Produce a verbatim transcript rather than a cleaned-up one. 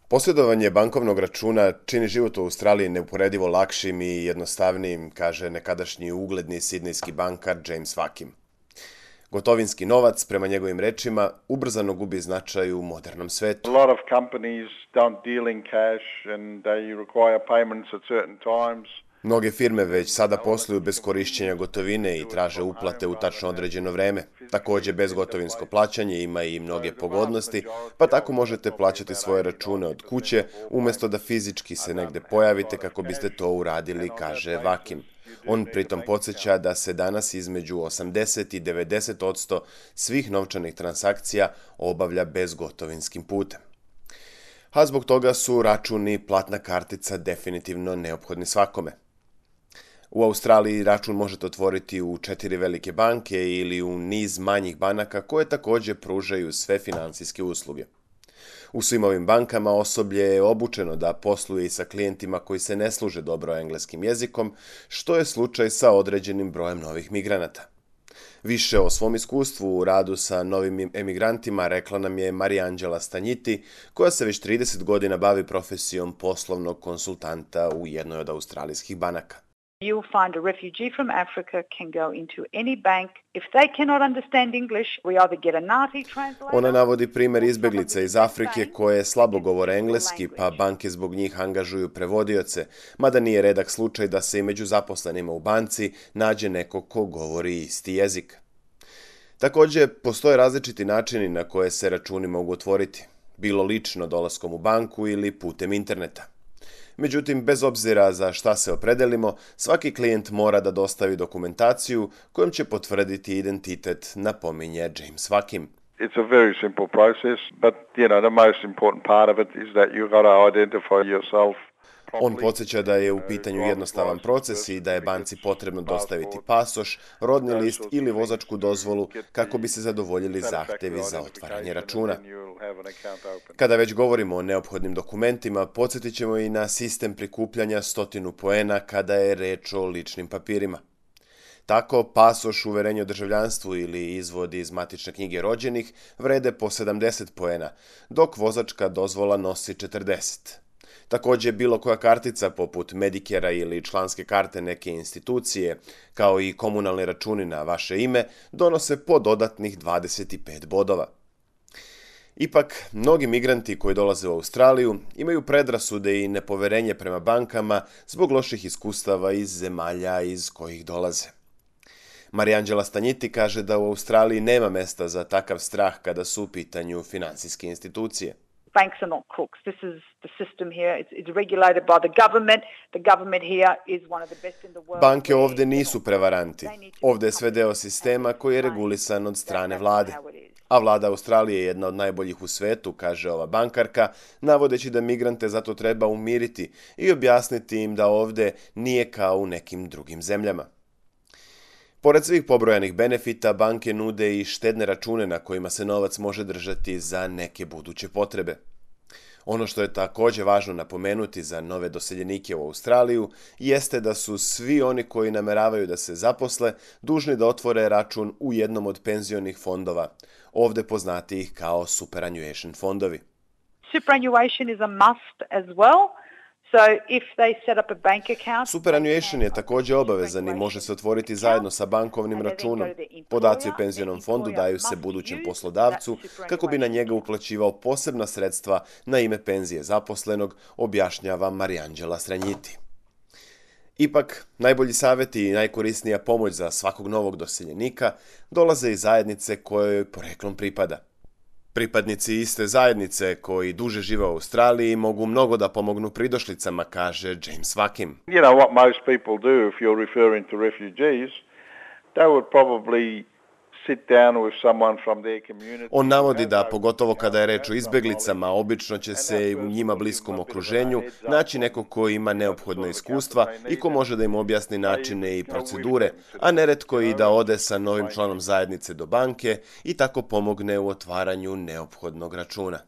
Posjedovanje bankovnog računa čini život u Australiji neuporedivo lakšim i jednostavnijim, kaže nekadašnji ugledni sidnejski bankar James Vakim. Gotovinski novac, prema njegovim rečima, ubrzano gubi značaj u modernom svetu. A lot of companies don't deal in cash and they require payments at certain times. Mnoge firme već sada posluju bez korišćenja gotovine i traže uplate u tačno određeno vreme. Također, bezgotovinsko plaćanje ima i mnoge pogodnosti, pa tako možete plaćati svoje račune od kuće, umjesto da fizički se negdje pojavite kako biste to uradili, kaže Vakim. On pritom podsjeća da se danas između osamdeset i devedeset odsto svih novčanih transakcija obavlja bezgotovinskim putem. A zbog toga su računi i platna kartica definitivno neophodni svakome. U Australiji račun možete otvoriti u četiri velike banke ili u niz manjih banaka koje također pružaju sve financijske usluge. U svim ovim bankama osoblje je obučeno da posluje i sa klijentima koji se ne služe dobro engleskim jezikom, što je slučaj sa određenim brojem novih migranata. Više o svom iskustvu u radu sa novim emigrantima rekla nam je Mariangela Stanjiti, koja se već trideset godina bavi profesijom poslovnog konsultanta u jednoj od australijskih banaka. You'll find a refugee from Africa can go into any bank. If they cannot understand English, we either get a Ngāti translator. Ona navodi primjer izbjeglica iz Afrike koje slabo govore engleski, pa banke zbog njih angažuju prevodioce, mada nije redak slučaj da se i među zaposlenima u banci nađe neko ko govori isti jezik. Također, postoje različiti načini na koje se računi mogu otvoriti, bilo lično dolaskom u banku ili putem interneta. Međutim, bez obzira za šta se opredelimo, svaki klijent mora da dostavi dokumentaciju kojom će potvrditi identitet, napominje James Vakim. It's a very simple process, but you know the most important part of it is that you've got to identify yourself. On podsjeća da je u pitanju jednostavan proces i da je banci potrebno dostaviti pasoš, rodni list ili vozačku dozvolu kako bi se zadovoljili zahtjevi za otvaranje računa. Kada već govorimo o neophodnim dokumentima, podsjetit ćemo i na sistem prikupljanja stotinu poena kada je reč o ličnim papirima. Tako, pasoš, uverenje o državljanstvu ili izvod iz matične knjige rođenih vrede po sedamdeset poena, dok vozačka dozvola nosi četrdeset. Također, bilo koja kartica poput Medicare-a ili članske karte neke institucije, kao i komunalni računi na vaše ime, donose po dodatnih dvadeset pet bodova. Ipak, mnogi migranti koji dolaze u Australiju imaju predrasude i nepoverenje prema bankama zbog loših iskustava iz zemalja iz kojih dolaze. Mariangela Stanjiti kaže da u Australiji nema mesta za takav strah kada su u pitanju financijske institucije. Banks are not crooks. This is the system here. It's, it's regulated by the government. The government here is one of the best in the world. Banke ovdje nisu prevaranti. Ovdje je sve deo sistema koji je regulisan od strane vlade. A vlada Australije je jedna od najboljih u svetu, kaže ova bankarka, navodeći da migrante zato treba umiriti i objasniti im da ovdje nije kao u nekim drugim zemljama. Pored svih pobrojanih benefita, banke nude i štedne račune na kojima se novac može držati za neke buduće potrebe. Ono što je također važno napomenuti za nove doseljenike u Australiju jeste da su svi oni koji nameravaju da se zaposle dužni da otvore račun u jednom od penzionih fondova, ovdje poznatijih kao superannuation fondovi. Superannuation is a must as well. So if they set up a bank account, Superannuation je također obavezan i može se otvoriti zajedno sa bankovnim računom. Podaci o penzionom fondu daju se budućem poslodavcu kako bi na njega uplaćivao posebna sredstva na ime penzije zaposlenog, objašnjava Mariangela Stanjiti. Ipak, najbolji savjeti i najkorisnija pomoć za svakog novog doseljenika dolaze iz zajednice kojoj poreklom pripada. Pripadnici iste zajednice koji duže žive u Australiji mogu mnogo da pomognu pridošlicama, kaže James Vakim. You know what most people do if you're referring to refugees, they would probably sit down with someone from their community. On navodi da, pogotovo kada je reč o izbjeglicama, obično će se u njima bliskom okruženju naći neko ko ima neophodna iskustva i ko može da im objasni načine i procedure, a neretko i da ode sa novim članom zajednice do banke i tako pomogne u otvaranju neophodnog računa.